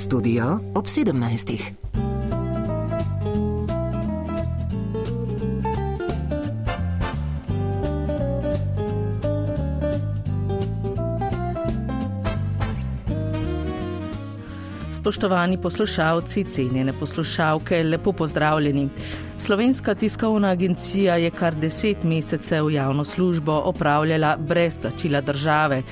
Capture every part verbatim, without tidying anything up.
Studio ob sedemnajstih. Spoštovani poslušalci, cenjene poslušalke, lepo pozdravljeni. Slovenska tiskovna agencija je kar deset mesecev javno službo opravljala brez plačila države.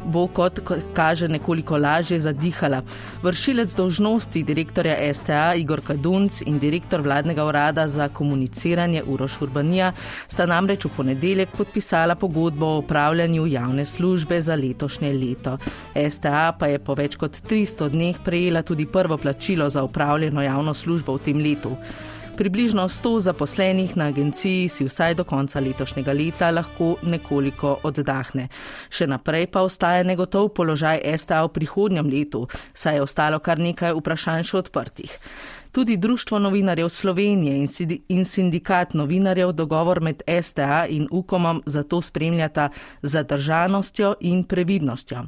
Bo, kot kaže, nekoliko lažje zadihala. Vršilec dolžnosti direktorja S T A Igor Kadunc in direktor vladnega urada za komuniciranje Uroš Urbanija sta namreč v ponedeljek podpisala pogodbo o opravljanju javne službe za letošnje leto. S T A pa je po več kot tristo dneh prejela tudi prvo plačilo za opravljeno javno službo v tem letu. Približno sto zaposlenih na agenciji si vsaj do konca letošnjega leta lahko nekoliko oddahne. Še naprej pa ostaja negotov položaj S T A v prihodnjem letu, saj je ostalo kar nekaj vprašanj še odprtih. Tudi Društvo novinarjev Slovenije in sindikat novinarjev dogovor med S T A in Ukomom zato spremljata z zadržanostjo in previdnostjo.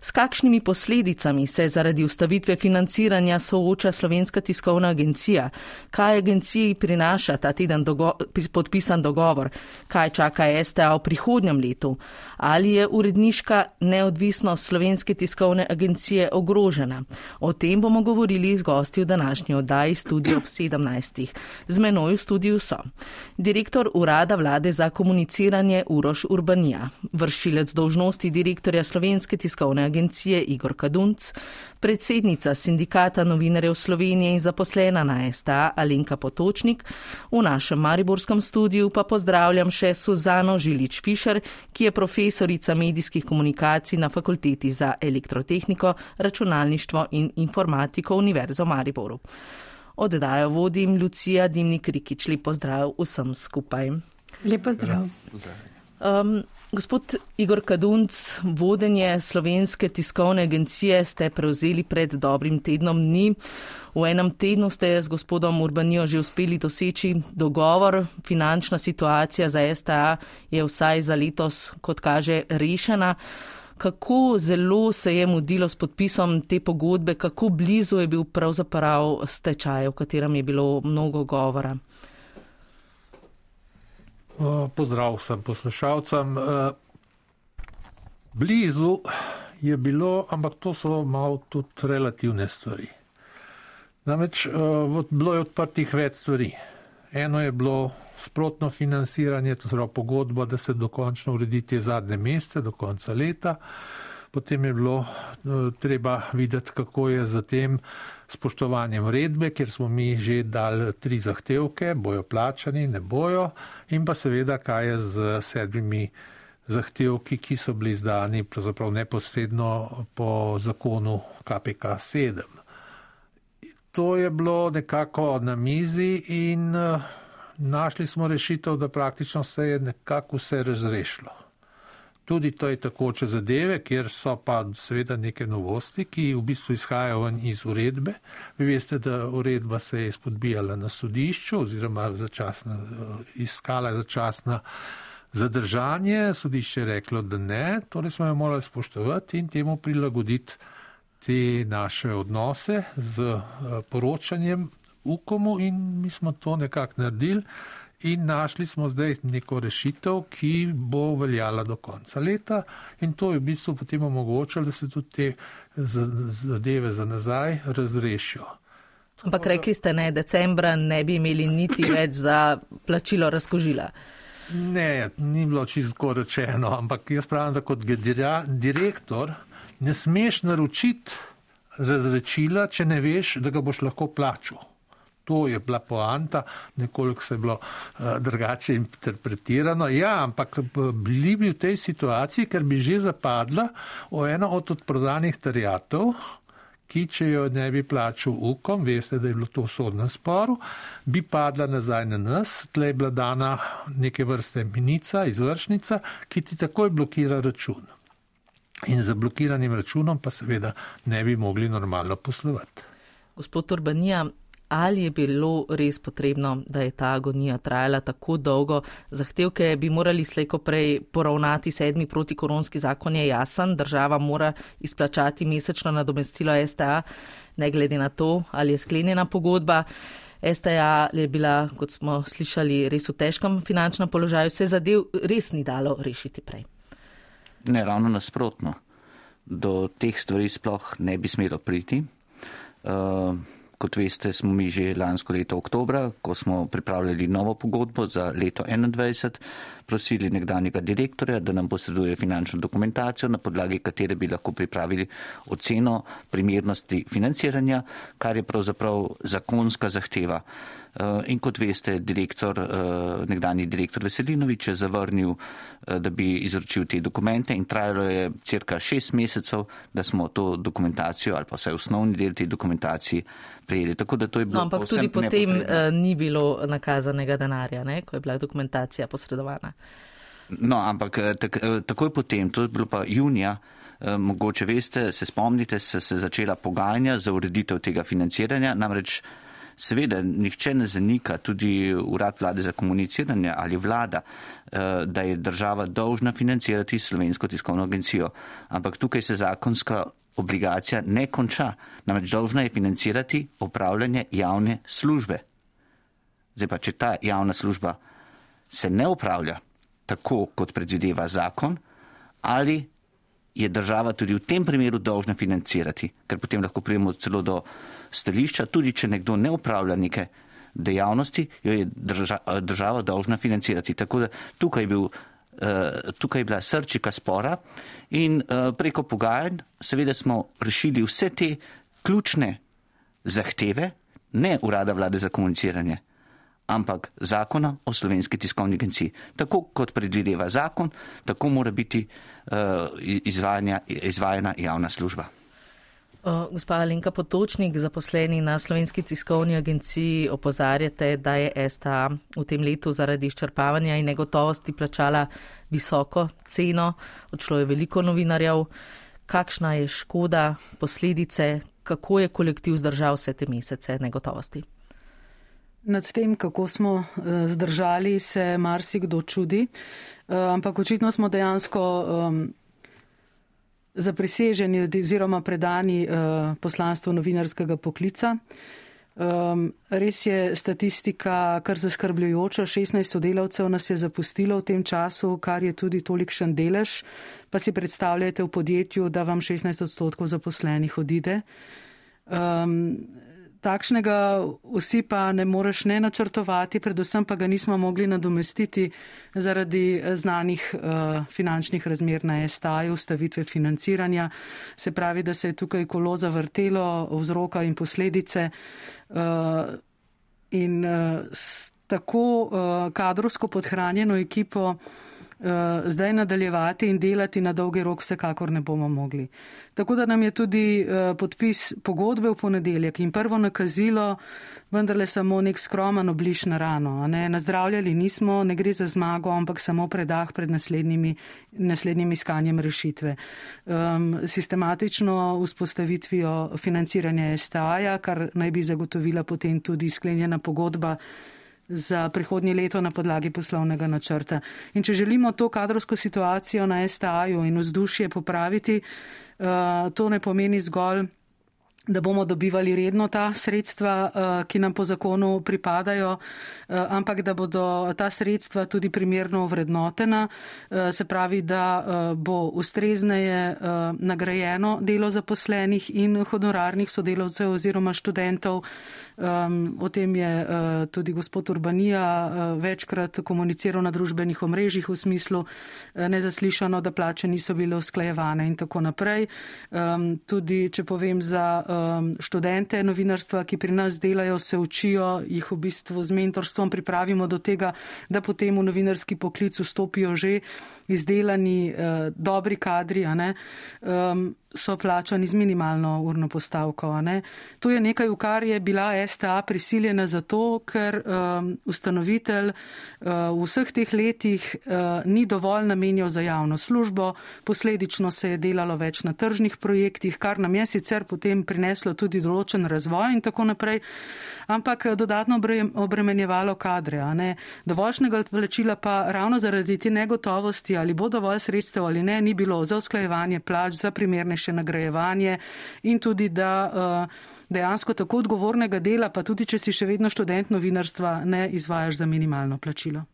S kakšnimi posledicami se zaradi ustavitve financiranja sooča Slovenska tiskovna agencija? Kaj agenciji prinaša ta teden dogo- podpisan dogovor? Kaj čaka S T A v prihodnjem letu? Ali je uredniška neodvisnost Slovenske tiskovne agencije ogrožena? O tem bomo govorili z gosti v današnji oddaji Studio ob sedemnajstih. Z menoj v studiu so direktor urada vlade za komuniciranje Uroš Urbanija, vršilec dolžnosti direktorja Slovenske tiskovne agencije Igor Kadunc, predsednica sindikata novinarjev Slovenije in zaposlena na S T A Alenka Potočnik. V našem mariborskem studiu pa pozdravljam še Suzano Žilič-Fišer, ki je profesorica medijskih komunikacij na Fakulteti za elektrotehniko, računalništvo in informatiko Univerze v Mariboru. Oddajo vodim Lucija Dimnik-Rikič. Lep pozdrav vsem skupaj. Lep pozdrav. Um, gospod Igor Kadunc, vodenje Slovenske tiskovne agencije ste prevzeli pred dobrim tednom dni. V enem tednu ste z gospodom Urbanijo že uspeli doseči dogovor. Finančna situacija za S T A je vsaj za letos, kot kaže, rešena. Kako zelo se je mudilo s podpisom te pogodbe, kako blizu je bil pravzaprav stečaj, o katerem je bilo mnogo govora? Pozdrav vsem poslušalcem. Blizu je bilo, ampak to so malo tudi relativne stvari. Namreč bilo je odprtih več stvari. Eno je bilo sprotno financiranje, to je pogodba, da se dokončno uredi te zadnje mesece do konca leta. Potem je bilo treba videti, kako je za tem spoštovanjem uredbe, kjer smo mi že dali tri zahtevke, bojo plačani, ne bojo, in pa seveda, kaj je z sedmimi zahtevki, ki so bili izdani pravzaprav neposredno po zakonu K P K sedem. To je bilo nekako na mizi in našli smo rešitev, da praktično se je nekako vse razrešilo. Tudi to je takoče zadeve, kjer so pa seveda neke novosti, ki v bistvu izhajajo iz uredbe. Vi veste, da uredba se je izpodbijala na sodišču oziroma začasna, iskala začasna zadržanje. Sodišče je reklo, da ne, torej smo jo morali spoštovati in temu prilagoditi te naše odnose z poročanjem Ukomu in mi smo to nekako naredili. In našli smo zdaj neko rešitev, ki bo veljala do konca leta in to je v bistvu potem omogočilo, da se tudi te zadeve za nazaj razrešijo. Ampak rekli ste, ne, decembra ne bi imeli niti več za plačilo razkožila. Ne, ni bilo čisto rečeno, ampak jaz pravim, da kot direktor ne smeš naročiti razrečila, če ne veš, da ga boš lahko plačal. To je bila poanta, nekoliko se je bilo uh, drugače interpretirano. Ja, ampak bili bi v tej situaciji, ker bi že zapadla o eno od odprodanih terjatev, ki če jo ne bi plačal Ukom, veste, da je bilo to v sodnem sporu, bi padla nazaj na nas, tle je bila dana neke vrste menica, izvršnica, ki ti takoj blokira račun. In za blokiranim računom pa seveda ne bi mogli normalno poslovati. Gospod Urbanija, ali je bilo res potrebno, da je ta agonija trajala tako dolgo. Zahtevke bi morali slejko prej poravnati, sedmi protikoronski zakon je jasen, država mora izplačati mesečno nadomestilo S T A, ne glede na to, ali je sklenjena pogodba. S T A je bila, kot smo slišali, res v težkem finančnem položaju, se zadev res ni dalo rešiti prej. Ne, ravno nasprotno. Do teh stvari sploh ne bi smelo priti. Uh, kot veste, smo mi že lansko leto oktobra, ko smo pripravljali novo pogodbo za leto enaindvajset, prosili nekdanjega direktorja, da nam posreduje finančno dokumentacijo, na podlagi katere bi lahko pripravili oceno primernosti financiranja, kar je pravzaprav zakonska zahteva. In kot veste, direktor, nekdanji direktor Veselinovič je zavrnil, da bi izročil te dokumente in trajalo je cirka šest mesecev, da smo to dokumentacijo ali pa vsaj osnovni del te dokumentacije prijeli. Tako da to je bilo no, ampak tudi potem uh, ni bilo nakazanega denarja, ne, ko je bila dokumentacija posredovana. No, ampak tak, takoj potem, to je bilo pa junija, mogoče veste, se spomnite, se, se začela pogajanja za ureditev tega financiranja, namreč seveda, nihče ne zanika, tudi Urad vlade za komuniciranje ali vlada, da je država dolžna financirati Slovensko tiskovno agencijo. Ampak tukaj se zakonska obligacija ne konča. Namreč dolžna je financirati opravljanje javne službe. Zdaj pa, če ta javna služba se ne opravlja tako, kot predvideva zakon, ali je država tudi v tem primeru dolžna financirati, ker potem lahko pridemo celo do stališča, tudi če nekdo ne upravlja neke dejavnosti, jo je država, država dolžna financirati. Tako da tukaj je, bil, tukaj je bila srčika spora in preko pogajanj seveda smo rešili vse te ključne zahteve, ne Urada vlade za komuniciranje, ampak zakona o Slovenski tiskovni agenciji. Tako kot predvideva zakon, tako mora biti izvajana javna služba. Gospa Alenka Potočnik, zaposleni na Slovenski tiskovni agenciji, opozarjate, da je S T A v tem letu zaradi izčrpavanja in negotovosti plačala visoko ceno, odšlo je veliko novinarjev. Kakšna je škoda, posledice, kako je kolektiv zdržal vse te mesece negotovosti? Nad tem, kako smo zdržali, se marsikdo čudi, ampak očitno smo dejansko zapriseženi oziroma predani poslanstvu novinarskega poklica. Res je statistika kar zaskrbljujoča, šestnajst sodelavcev nas je zapustilo v tem času, kar je tudi tolikšen delež, pa si predstavljajte v podjetju, da vam šestnajst odstotkov zaposlenih odide. Takšnega vsi pa ne moreš ne načrtovati, predvsem pa ga nismo mogli nadomestiti zaradi znanih uh, finančnih razmer na S T A-ju, ustavitve financiranja. Se pravi, da se je tukaj kolo zavrtelo, vzroka in posledice uh, in uh, s tako uh, kadrovsko podhranjeno ekipo zdaj nadaljevati in delati na dolgi rok vsekakor ne bomo mogli. Tako da nam je tudi podpis pogodbe v ponedeljek in prvo nakazilo vendarle samo nek skromen obliž na rano. Ne? Nazdravljali nismo, ne gre za zmago, ampak samo predah pred naslednjimi, naslednjim iskanjem rešitve. Um, sistematično vzpostavitvijo financiranja S T A-ja, kar naj bi zagotovila potem tudi sklenjena pogodba za prihodnje leto na podlagi poslovnega načrta. In če želimo to kadrovsko situacijo na S T A-ju in vzdušje popraviti, to ne pomeni zgolj, da bomo dobivali redno ta sredstva, ki nam po zakonu pripadajo, ampak da bodo ta sredstva tudi primerno ovrednotena, se pravi, da bo ustrezneje nagrajeno delo zaposlenih in honorarnih sodelavcev oziroma študentov. O tem je tudi gospod Urbanija večkrat komuniciral na družbenih omrežjih v smislu nezaslišano, da plače niso bile usklajevane in tako naprej. Tudi, če povem za študente novinarstva, ki pri nas delajo, se učijo, jih v bistvu z mentorstvom pripravimo do tega, da potem v novinarski poklic vstopijo že izdelani, dobri kadri, a ne? so plačani z minimalno urno postavko. Ne? To je nekaj, v kar je bila S T A prisiljena zato, ker um, ustanovitelj uh, v vseh teh letih uh, ni dovolj namenjal za javno službo, posledično se je delalo več na tržnih projektih, kar nam je sicer potem prineslo tudi določen razvoj in tako naprej, ampak dodatno obremenjevalo kadre. A ne? Dovoljšnega plačila pa ravno zaradi te negotovosti, ali bo dovolj sredstev ali ne, ni bilo za usklajevanje plač, za primernejše nagrajevanje in tudi, da uh, dejansko tako odgovornega dela, pa tudi, če si še vedno študent novinarstva, ne izvajaš za minimalno plačilo.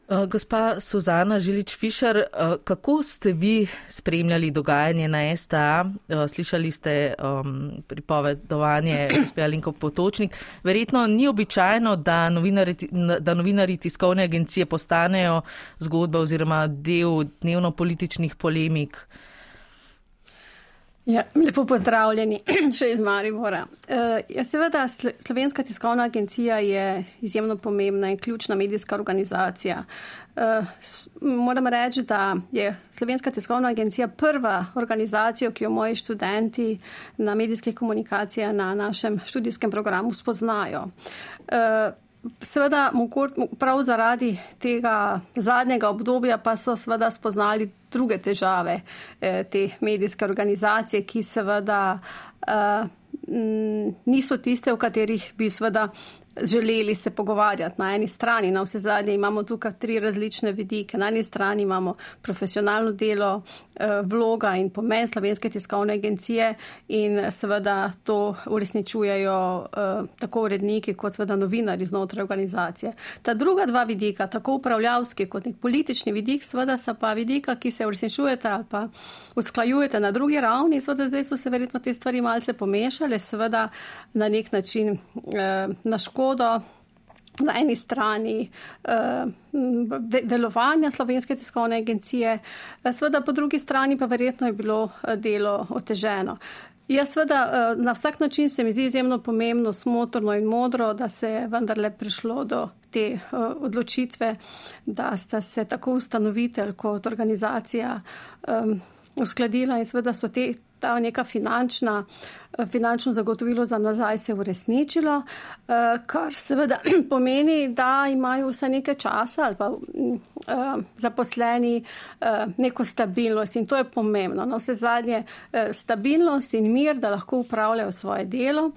Gospa Suzana Žilič-Fišer, kako ste vi spremljali dogajanje na S T A? Slišali ste um, pripovedovanje gospe Alenke Potočnik. Verjetno ni običajno, da novinari, da novinari tiskovne agencije postanejo zgodba oziroma del dnevno političnih polemik. Ja, lepo pozdravljeni še iz Maribora. Uh, ja, seveda, Slovenska tiskovna agencija je izjemno pomembna in ključna medijska organizacija. Uh, moram reči, da je Slovenska tiskovna agencija prva organizacija, ki jo moji študenti na medijskih komunikacijah na našem študijskem programu spoznajo. Uh, Seveda, prav zaradi tega zadnjega obdobja pa so seveda spoznali druge težave te medijske organizacije, ki seveda niso tiste, v katerih bi seveda želeli se pogovarjati. Na eni strani, na vse zadnje, imamo tukaj tri različne vidike. Na eni strani imamo profesionalno delo, vloga in pomen Slovenske tiskovne agencije in seveda to uresničujejo tako uredniki kot seveda novinari znotraj organizacije. Ta druga dva vidika, tako upravljavski kot nek politični vidik, seveda so pa vidika, ki se uresničujete ali pa usklajujete na drugi ravni. Seveda zdaj so se verjetno te stvari malce pomešale, seveda na nek način na škodo na eni strani delovanja Slovenske tiskovne agencije, seveda po drugi strani pa verjetno je bilo delo oteženo. Ja, seveda na vsak način se mi zdi izjemno pomembno, smotrno in modro, da se je vendarle prišlo do te odločitve, da sta se tako ustanovitelj kot organizacija uskladila in seveda so te, ta neka finančna, finančno zagotovilo za nazaj se uresničilo, kar seveda pomeni, da imajo vse nekaj časa ali pa zaposleni neko stabilnost in to je pomembno. Na vse zadnje stabilnost in mir, da lahko upravljajo svoje delo.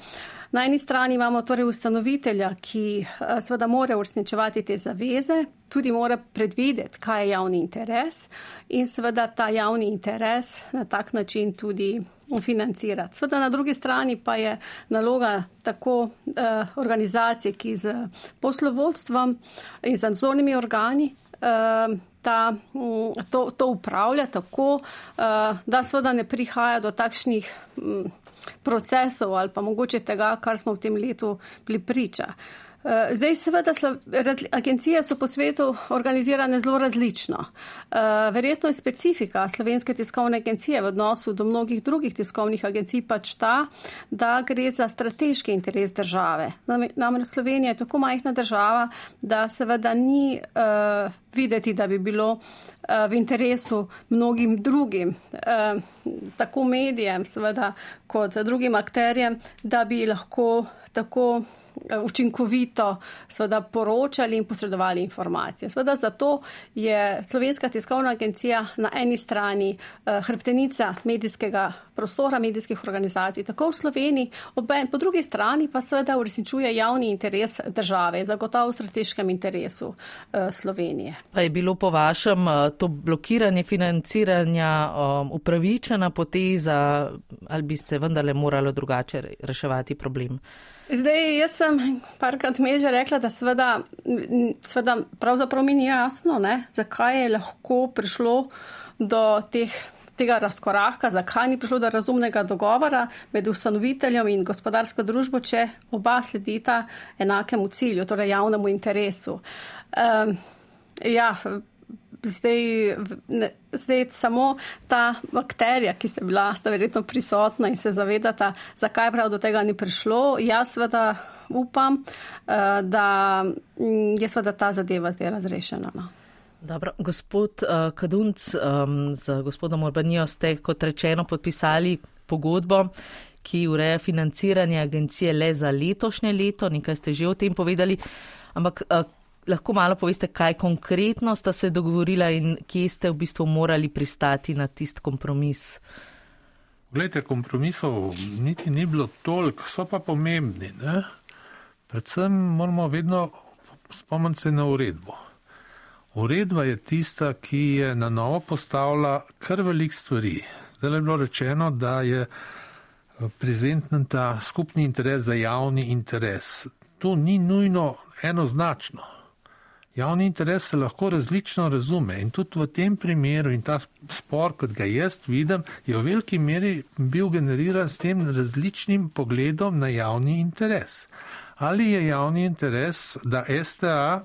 Na eni strani imamo torej ustanovitelja, ki seveda mora uresničevati te zaveze, tudi mora predvideti, kaj je javni interes in seveda ta javni interes na tak način tudi financirati. Seveda na drugi strani pa je naloga tako eh, organizacije, ki z poslovodstvom in z nadzornimi organi eh, ta, to, to upravlja tako, eh, da seveda ne prihaja do takšnih hm, procesov ali pa mogoče tega, kar smo v tem letu bili priča. Zdaj seveda agencije so po svetu organizirane zelo različno. Verjetno je specifika Slovenske tiskovne agencije v odnosu do mnogih drugih tiskovnih agencij pač ta, da gre za strateški interes države. Namreč Slovenija je tako majhna država, da seveda ni uh, videti, da bi bilo uh, v interesu mnogim drugim, uh, tako medijem seveda kot drugim akterjem, da bi lahko tako učinkovito seveda poročali in posredovali informacije. Seveda zato je Slovenska tiskovna agencija na eni strani hrbtenica medijskega prostora, medijskih organizacij, tako v Sloveniji, po drugi strani pa seveda uresničuje javni interes države, zagotovo v strateškem interesu Slovenije. Pa je bilo po vašem to blokiranje financiranja upravičena poteza ali bi se vendarle moralo drugače reševati problem? Zdaj, jaz sem parkrat me že rekla, da seveda, seveda pravzaprav mi ni jasno, ne, zakaj je lahko prišlo do teh, tega razkoraka, zakaj ni prišlo do razumnega dogovora med ustanoviteljem in gospodarsko družbo, če oba sledita enakemu cilju, torej javnemu interesu. Um, ja, Zdaj, zdaj samo ta bakterija, ki ste bila, sta verjetno prisotna in se zavedata, zakaj prav do tega ni prišlo. Jaz seveda upam, da je seveda ta zadeva zdaj razrešena. No. Dobro, gospod uh, Kadunc, um, z gospodom Urbanijo ste, kot rečeno, podpisali pogodbo, ki ureja financiranje agencije le za letošnje leto, nekaj ste že o tem povedali, ampak uh, lahko malo poveste, kaj konkretno sta se dogovorila in kje ste v bistvu morali pristati na tist kompromis? Glejte, kompromisov niti ni bilo toliko, so pa pomembni, ne? Predvsem moramo vedno spomniti se na uredbo. Uredba je tista, ki je na novo postavila kar velik stvari. Zdaj je bilo rečeno, da je prezenten ta skupni interes za javni interes. To ni nujno enoznačno. Javni interes se lahko različno razume in tudi v tem primeru in ta spor, kot ga jaz vidim, je v veliki meri bil generiran s tem različnim pogledom na javni interes. Ali je javni interes, da S T A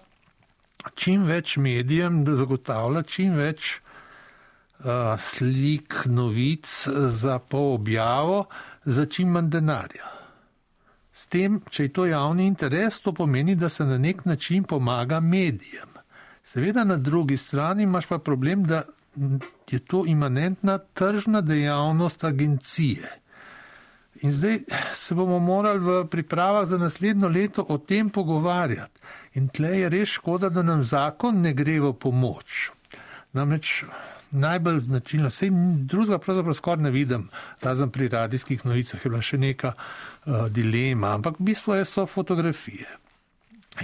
čim več medijem zagotavlja čim več uh, slik, novic za poobjavo, za čim manj denarja. S tem, če je to javni interes, to pomeni, da se na nek način pomaga medijem. Seveda na drugi strani imaš pa problem, da je to imanentna tržna dejavnost agencije. In zdaj se bomo morali v pripravah za naslednjo leto o tem pogovarjati. In tle je res škoda, da nam zakon ne gre v pomoč. Namreč najbolj značilno, sej drugega pravzaprav skoraj ne vidim, razen pri radijskih novicah je bila še neka uh, dilema, ampak v bistvu so fotografije.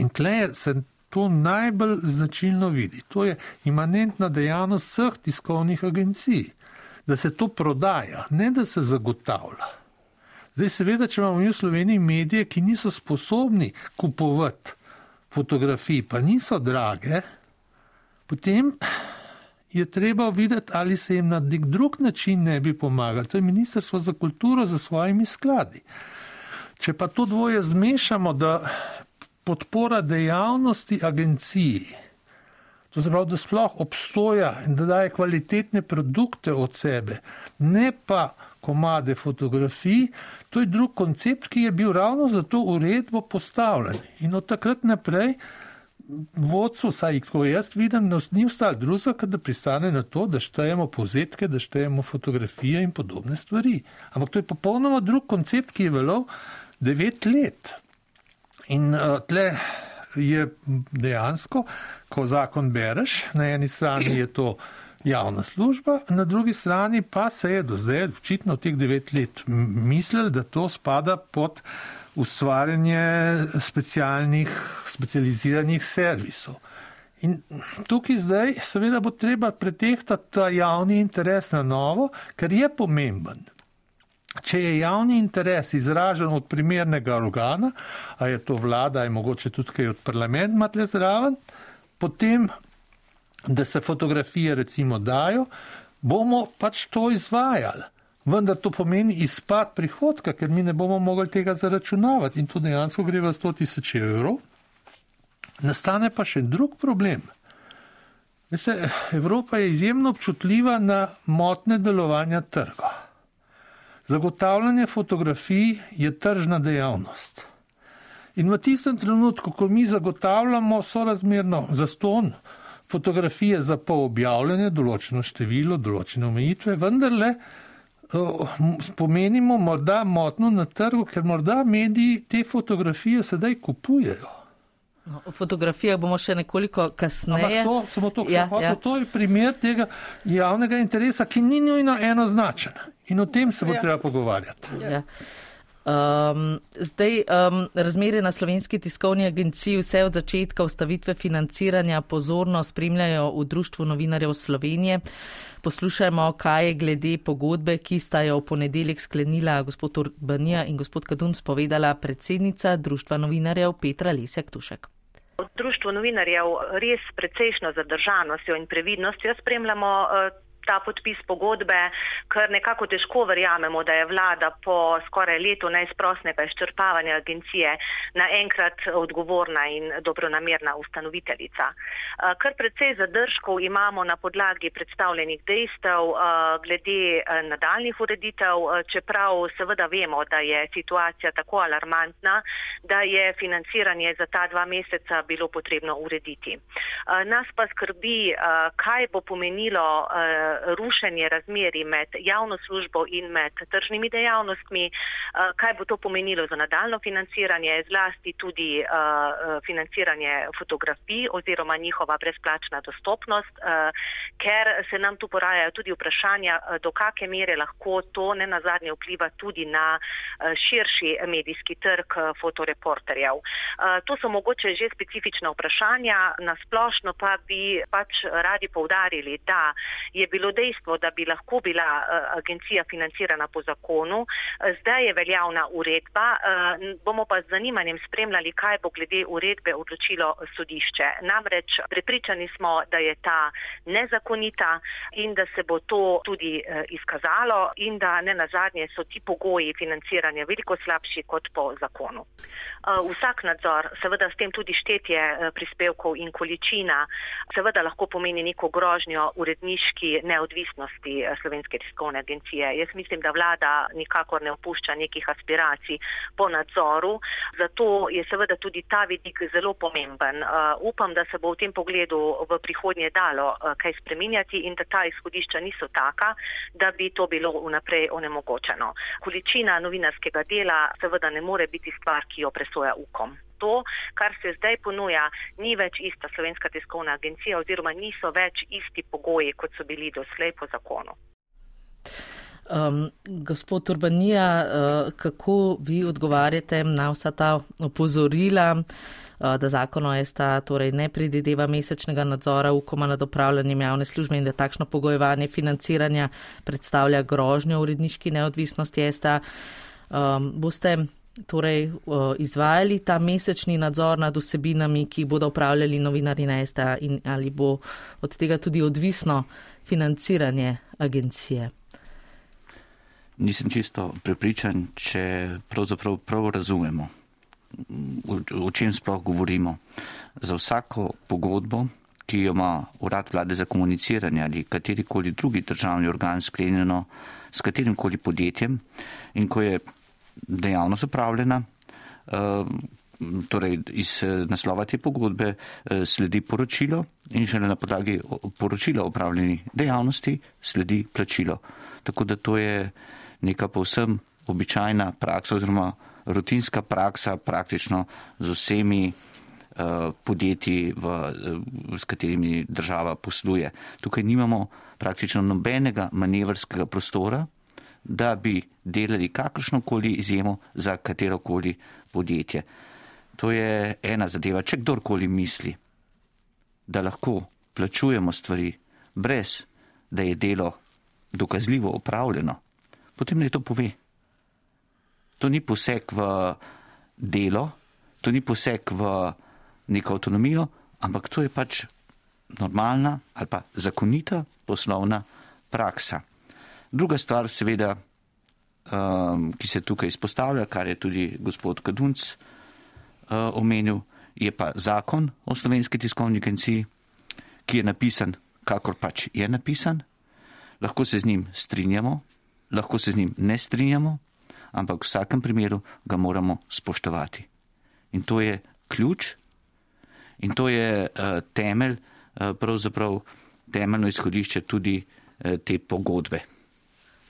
In tle se to najbolj značilno vidi. To je imanentna dejavnost vseh tiskovnih agencij, da se to prodaja, ne da se zagotavlja. Zdaj seveda, če imamo mi v Sloveniji medije, ki niso sposobni kupovati fotografij, pa niso drage, potem je treba videti, ali se jim na nek drug način ne bi pomagali. To je Ministrstvo za kulturo za svojimi skladi. Če pa to dvoje zmešamo, da podpora dejavnosti agenciji, to se pravi, da sploh obstoja in da daje kvalitetne produkte od sebe, ne pa komade fotografij, to je drug koncept, ki je bil ravno za to uredbo postavljen. In od takrat naprej vodcu, saj ko jaz vidim, ni ostalo drugega, da pristane na to, da štejemo povzetke, da štejemo fotografije in podobne stvari. Ampak to je popolnoma drug koncept, ki je veljal devet let. In uh, tle je dejansko, ko zakon bereš, na eni strani je to javna služba, na drugi strani pa se je do zdaj očitno teh devet let mislili, da to spada pod ustvarjanje specialnih, specializiranih servisov. In tukaj zdaj seveda bo treba pretehtati ta javni interes na novo, ker je pomemben. Če je javni interes izražen od primernega organa, a je to vlada, je mogoče tudi kaj od parlamenta tle zraven, potem, da se fotografije recimo dajo, bomo pač to izvajali. Vendar to pomeni izpad prihodka, ker mi ne bomo mogli tega zaračunavati in to dejansko gre v sto tisoč evrov. Nastane pa še drug problem. Veste, Evropa je izjemno občutljiva na motnje delovanja trga. Zagotavljanje fotografij je tržna dejavnost. In v tistem trenutku, ko mi zagotavljamo sorazmerno zastonj fotografije za poobjavljanje, določeno število, določene omejitve, vendarle spomenimo morda motno na trgu, ker morda mediji te fotografije sedaj kupujejo. No, o fotografijah bomo še nekoliko kasneje. Ampak to, samo to, ja, hotel, ja. to je primer tega javnega interesa, ki ni nujno enoznačen. In o tem se bo ja. treba pogovarjati. Ja. Um, zdaj, um, razmere na Slovenski tiskovni agenciji vse od začetka ustavitve financiranja pozorno spremljajo v Društvu novinarjev Slovenije. Poslušajmo, kaj je glede pogodbe, ki sta jo v ponedeljek sklenila gospod Urbanija in gospod Kadunc povedala predsednica Društva novinarjev Petra Lesjak-Tušek. V Društvu novinarjev res precejšno zadržanostjo in previdnostjo spremljamo ta podpis pogodbe, ker nekako težko verjamemo, da je vlada po skoraj letu neizprosnega izčrpavanja agencije naenkrat odgovorna in dobronamerna ustanoviteljica. Kar precej zadržkov imamo na podlagi predstavljenih dejstev glede nadaljnjih ureditev, čeprav seveda vemo, da je situacija tako alarmantna, da je financiranje za ta dva meseca bilo potrebno urediti. Nas pa skrbi, kaj bo pomenilo rušenje razmerij med javno službo in med tržnimi dejavnostmi, kaj bo to pomenilo za nadaljno financiranje, zlasti tudi financiranje fotografij oziroma njihova brezplačna dostopnost, ker se nam tu porajajo tudi vprašanja, do kake mere lahko to ne nazadnje vpliva tudi na širši medijski trg fotoreporterjev. To so mogoče že specifična vprašanja, na splošno pa bi pač radi poudarili, da je bilo dejstvo, da bi lahko bila agencija financirana po zakonu. Zdaj je veljavna uredba, bomo pa z zanimanjem spremljali, kaj bo glede uredbe odločilo sodišče. Namreč prepričani smo, da je ta nezakonita in da se bo to tudi izkazalo in da ne nazadnje so ti pogoji financiranja veliko slabši kot po zakonu. Vsak nadzor, seveda s tem tudi štetje prispevkov in količina, seveda lahko pomeni neko grožnjo uredniški neodvisnosti Slovenske tiskovne agencije. Jaz mislim, da vlada nikakor ne opušča nekih aspiracij po nadzoru, zato je seveda tudi ta vidik zelo pomemben. Upam, da se bo v tem pogledu v prihodnje dalo kaj spreminjati in da ta izhodišča niso taka, da bi to bilo vnaprej onemogočeno. Količina novinarskega dela seveda ne more biti stvar, ki jo presoja Ukom. To, kar se zdaj ponuja, ni več ista Slovenska tiskovna agencija oziroma niso več isti pogoji, kot so bili doslej po zakonu. Um, gospod Urbanija, uh, kako vi odgovarjate na vsa ta opozorila, uh, da zakon o S T A torej ne predvideva mesečnega nadzora Ukoma nad opravljanjem javne službe in da takšno pogojevanje financiranja predstavlja grožnjo uredniški neodvisnosti S T A? Um, boste torej uh, izvajali ta mesečni nadzor nad vsebinami, ki bodo upravljali novinarji na S T A in ali bo od tega tudi odvisno financiranje agencije? Nisem čisto prepričan, če pravzaprav prav razumemo, o čem sploh govorimo. Za vsako pogodbo, ki jo ima Urad vlade za komuniciranje ali katerikoli drugi državni organ sklenjeno s katerimkoli podjetjem in ko je dejavnost upravljena, torej iz naslova te pogodbe sledi poročilo in šele na podlagi poročila opravljeni dejavnosti sledi plačilo. Tako da to je neka povsem običajna praksa oziroma rutinska praksa praktično z vsemi podjetji, v, s katerimi država posluje. Tukaj nimamo praktično nobenega manevrskega prostora, da bi delali kakršnokoli izjemo za katerokoli podjetje. To je ena zadeva. Če kdorkoli misli, da lahko plačujemo stvari brez, da je delo dokazljivo opravljeno, potem naj to pove. To ni poseg v delo, to ni poseg v neko avtonomijo, ampak to je pač normalna ali pa zakonita poslovna praksa. Druga stvar, seveda, um, ki se tukaj izpostavlja, kar je tudi gospod Kadunc uh, omenil, je pa zakon o Slovenski tiskovni agenciji, ki je napisan, kakor pač je napisan. Lahko se z njim strinjamo, lahko se z njim ne strinjamo, ampak v vsakem primeru ga moramo spoštovati. In to je ključ in to je uh, temelj, uh, pravzaprav temeljno izhodišče tudi uh, te pogodbe.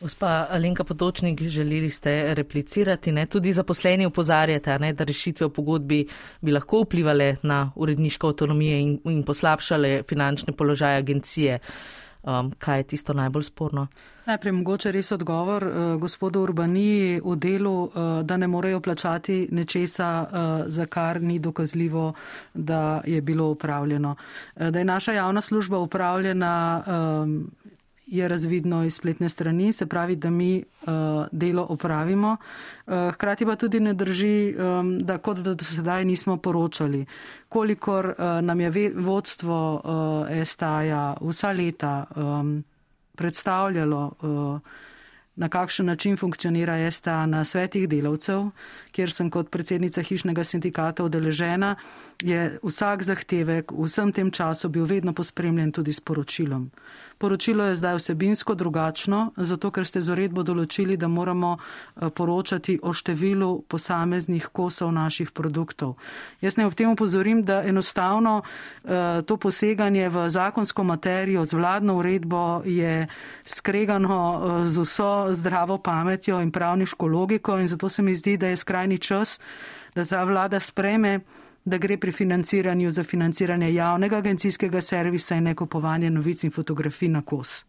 Gospa Alenka Potočnik, želeli ste replicirati, ne? Tudi zaposleni opozarjate, ne, da rešitve v pogodbi bi lahko vplivali na uredniško avtonomijo in, in poslabšale finančne položaje agencije. Um, kaj je tisto najbolj sporno? Najprej mogoče res odgovor uh, gospodu Urbaniji v delu, uh, da ne morejo plačati nečesa, uh, za kar ni dokazljivo, da je bilo upravljeno. Uh, da je naša javna služba upravljena, um, je razvidno iz spletne strani, se pravi, da mi uh, delo opravimo. Uh, hkrati pa tudi ne drži, um, da kot da do sedaj nismo poročali. Kolikor uh, nam je ve, vodstvo uh, S T A-ja vsa leta um, predstavljalo, na kakšen način funkcionira S T A na svetih delavcev, kjer sem kot predsednica hišnega sindikata udeležena, je vsak zahtevek v vsem tem času bil vedno pospremljen tudi s poročilom. Poročilo je zdaj vsebinsko drugačno, zato ker ste z uredbo določili, da moramo poročati o številu posameznih kosov naših produktov. Jaz ne ob tem upozorim, da enostavno to poseganje v zakonsko materijo z vladno uredbo je skregano z vso zdravo pametjo in pravniško logiko in zato se mi zdi, da je skrajni čas, da ta vlada sprejme, da gre pri financiranju za financiranje javnega agencijskega servisa in ne kupovanje novic in fotografij na kos.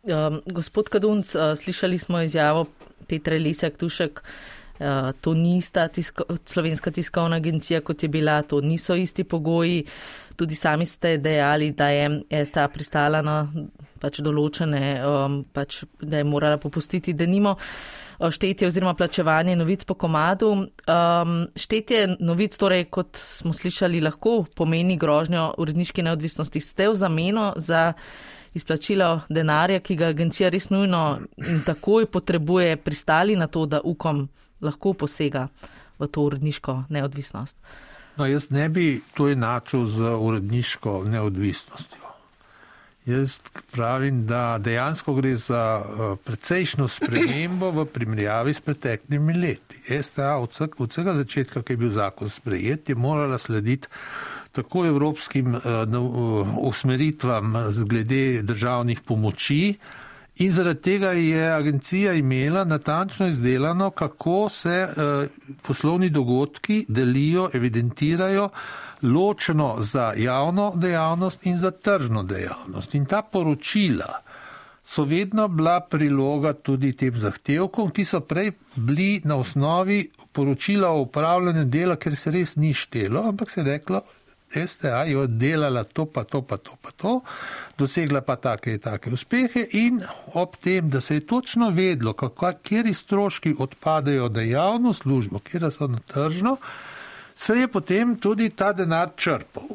Uh, gospod Kadunc, uh, slišali smo izjavo Petre Lesjak-Tušek, uh, to ni ista tisko, slovenska tiskovna agencija, kot je bila, to niso isti pogoji. Tudi sami ste dejali, da je S T A pristala na pač določene, um, pač, da je morala popustiti, da nimo štetje oziroma plačevanje novic po komadu. Um, štetje novic, torej, kot smo slišali, lahko pomeni grožnjo uredniški neodvisnosti. Ste v zameno za izplačilo denarja, ki ga agencija res nujno in takoj potrebuje, pristali na to, da U K O M lahko posega v to uredniško neodvisnost? No, jaz ne bi to enačil z uredniško neodvisnostjo. Jaz pravim, da dejansko gre za precejšno spremembo v primerjavi s preteklimi leti. S T A od vsega začetka, ki je bil zakon sprejet, je morala slediti tako evropskim usmeritvam glede državnih pomoči in zaradi tega je agencija imela natančno izdelano, kako se poslovni dogodki delijo, evidentirajo ločeno za javno dejavnost in za tržno dejavnost. In ta poročila so vedno bila priloga tudi tem zahtevkom, ki so prej bili na osnovi poročila o upravljanju dela, ker se res ni štelo, ampak se je reklo, S T A je oddelala to pa to pa to pa to, dosegla pa take in take uspehe in ob tem, da se je točno vedlo, kateri stroški odpadajo na javno službo, kjer so na tržno, se je potem tudi ta denar črpal.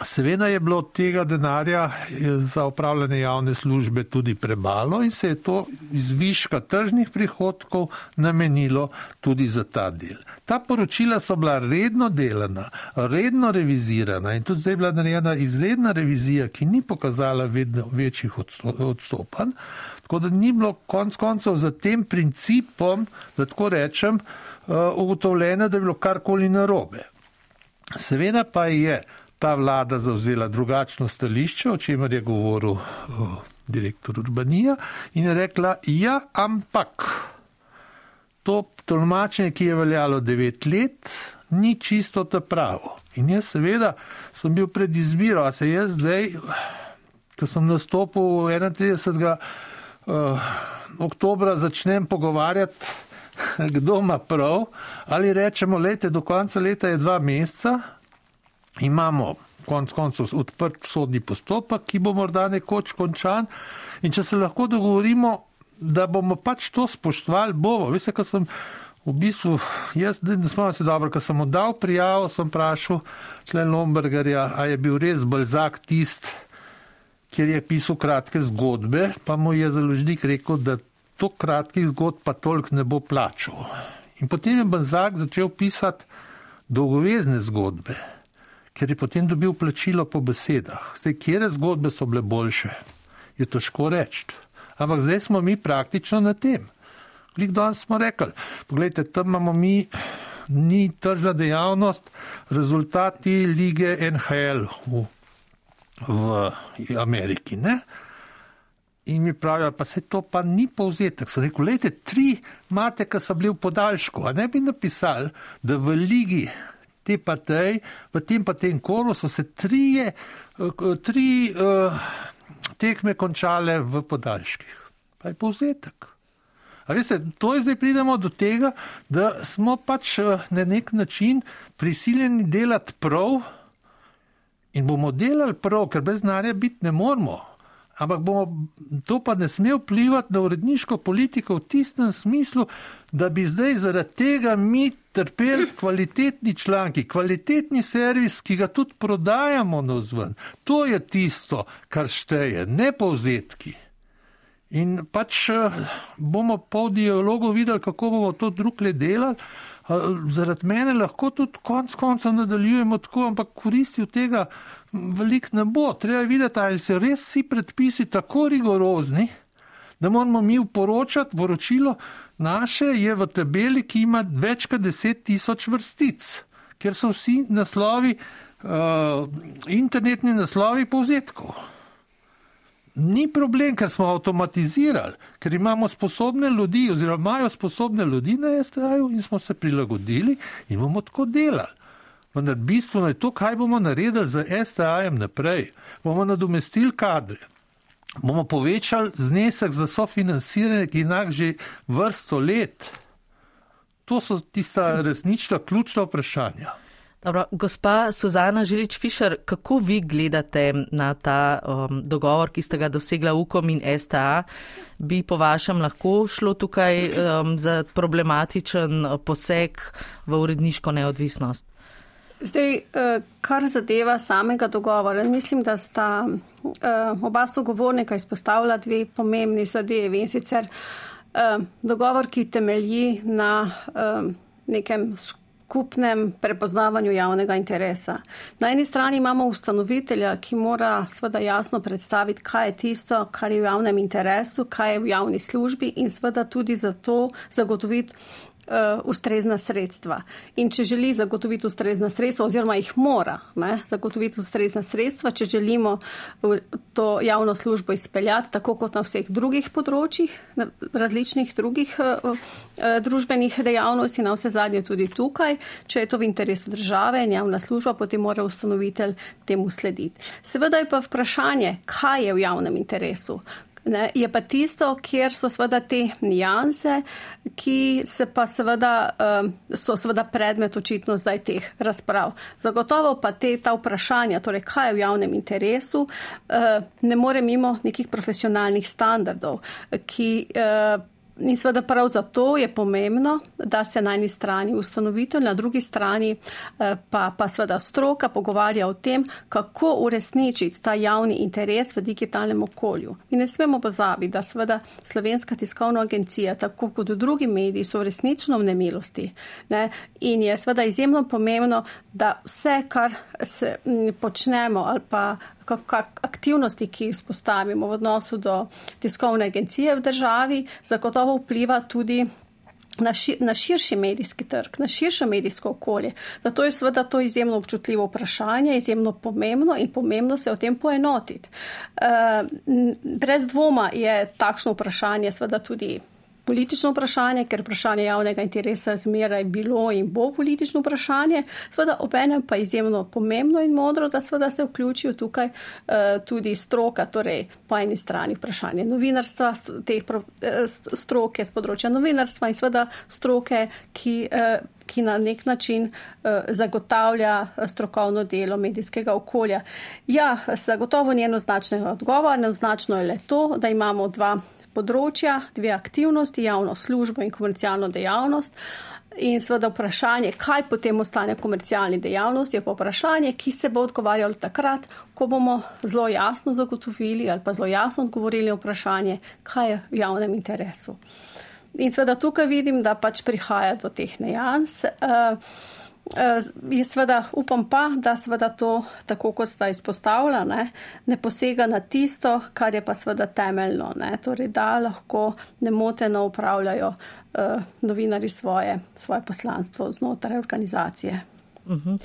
Seveda je bilo tega denarja za upravljanje javne službe tudi premalo in se je to iz viška tržnih prihodkov namenilo tudi za ta del. Ta poročila so bila redno delana, redno revizirana in tudi zdaj je bila narejena izredna revizija, ki ni pokazala vedno večjih odstopanj, tako da ni bilo konc koncev za tem principom, da tako rečem, ugotovljeno, da je bilo karkoli narobe. Seveda pa je ta vlada zavzela drugačno stališče, o čemer je govoril uh, direktor Urbanija in je rekla, ja, ampak to tolmačenje, ki je veljalo devet let, ni čisto ta pravo. In jaz seveda sem bil pred izbiro, a se jaz zdaj, ko sem nastopil enaintridesetega Uh, oktobra začnem pogovarjati, kdo ima prav, ali rečemo, lejte, do konca leta je dva meseca, imamo konc koncev odprt sodni postopek, ki bo morda nekoč končan in če se lahko dogovorimo, da bomo pač to spoštovali, bomo. Veste, ko sem v bistvu, jaz ne spomnim se dobro, ko sem oddal prijavo, sem vprašal tle Lombergarja, a je bil res Balzac tist, kjer je pisal kratke zgodbe, pa mu je založnik rekel, da to kratkih zgodb pa toliko ne bo plačal. In potem je Balzac začel pisati dolgovezne zgodbe, ker je potem dobil plačilo po besedah. Zdaj, kjere zgodbe so bile boljše, je težko reči. Ampak zdaj smo mi praktično na tem. Lik danes smo rekli, pogledajte, tam imamo mi, ni tržna dejavnost, rezultati lige N H L v v Ameriki, ne? In mi pravijo, pa se to pa ni povzetek. Sem rekel, lejte, tri mate, ki so bili v podaljšku, a ne bi napisali, da v ligi te pa tej, v tem pa tem kolu so se trije, tri uh, tekme končale v podaljških. Pa je povzetek. A veste, to je zdaj pridemo do tega, da smo pač na nek način prisiljeni delati prav, in bomo delali prav, ker brez denarja biti ne moramo. Ampak bomo, to pa ne sme vplivati na uredniško politiko v tistem smislu, da bi zdaj zaradi tega mi trpeli kvalitetni članki, kvalitetni servis, ki ga tudi prodajamo navzven. To je tisto, kar šteje, ne povzetki. In pač bomo po dialogu videli, kako bomo to drugje delali. Zaradi mene lahko tudi konc konca nadaljujemo tako, ampak koristi od tega veliko ne bo. Treba videti, ali se res vsi predpisi tako rigorozni, da moramo mi poročati, poročilo naše je v tabeli, ki ima več kot deset tisoč vrstic, ker so vsi naslovi, uh, internetni naslovi povzetkov. Ni problem, ker smo avtomatizirali, ker imamo sposobne ljudi, oziroma imajo sposobne ljudi na S T A-ju in smo se prilagodili in bomo tako delali. Vendar bistveno je to, kaj bomo naredili z S T A-jem naprej. Bomo nadomestili kadre, bomo povečali znesek za sofinansiranje, ki inak že vrsto let. To so tista resnična ključna vprašanja. Dobro, gospa Suzana Žilič-Fišer, kako vi gledate na ta um, dogovor, ki ste ga dosegla Ukom in S T A? Bi po vašem lahko šlo tukaj um, za problematičen poseg v uredniško neodvisnost? Zdaj, kar zadeva samega dogovora, mislim, da sta oba sogovornika izpostavila dve pomembni zadevi, in sicer dogovor, ki temelji na nekem skupnem prepoznavanju javnega interesa. Na eni strani imamo ustanovitelja, ki mora seveda jasno predstaviti, kaj je tisto, kar je v javnem interesu, kaj je v javni službi in seveda tudi za to zagotoviti Uh, ustrezna sredstva. In če želi zagotoviti ustrezna sredstva, oziroma jih mora ne, zagotoviti ustrezna sredstva, če želimo to javno službo izpeljati, tako kot na vseh drugih področjih, na različnih drugih uh, uh, družbenih dejavnosti, na vse zadnje tudi tukaj, če je to v interesu države in javna služba, potem mora ustanovitelj temu slediti. Seveda je pa vprašanje, kaj je v javnem interesu. Ne, je pa tisto, kjer so seveda te nijanse, ki se pa seveda, so seveda predmet očitno zdaj teh razprav. Zagotovo pa te, ta vprašanja, torej kaj je v javnem interesu, ne more mimo nekih profesionalnih standardov, ki in seveda prav zato je pomembno, da se na eni strani ustanovitelj, na drugi strani pa, pa seveda stroka pogovarja o tem, kako uresničiti ta javni interes v digitalnem okolju. In ne smemo pozabiti, da seveda Slovenska tiskovna agencija, tako kot drugi mediji, so resnično v nemilosti. Ne? In je seveda izjemno pomembno, da vse, kar se počnemo ali pa aktivnosti, ki jih spostavimo v odnosu do tiskovne agencije v državi, zagotovo vpliva tudi na, ši, na širši medijski trg, na širše medijsko okolje. Zato je seveda to izjemno občutljivo vprašanje, izjemno pomembno in pomembno se o tem poenotiti. Uh, brez dvoma je takšno vprašanje seveda tudi politično vprašanje, ker vprašanje javnega interesa zmeraj bilo in bo politično vprašanje, seveda obenem pa izjemno pomembno in modro, da seveda se vključijo tukaj uh, tudi stroka, torej po eni strani vprašanje novinarstva, teh stroke z področja novinarstva in seveda stroke, ki, uh, ki na nek način uh, zagotavlja strokovno delo medijskega okolja. Ja, zagotovo ni enoznačnega odgovora, enoznačno je le to, da imamo dva področja, dve aktivnosti, javno službo in komercialno dejavnost. In seveda vprašanje, kaj potem ostane komercialni dejavnosti, je pa vprašanje, ki se bo odgovarjalo takrat, ko bomo zelo jasno zagotovili ali pa zelo jasno odgovorili na vprašanje, kaj je v javnem interesu. In seveda tukaj vidim, da pač prihaja do teh nejans. Uh, Je seveda, upam pa, da seveda to, tako kot sta izpostavila, ne, ne posega na tisto, kar je pa seveda temeljno, ne, torej da lahko nemoteno upravljajo uh, novinari svoje, svoje poslanstvo znotraj organizacije. Uh-huh.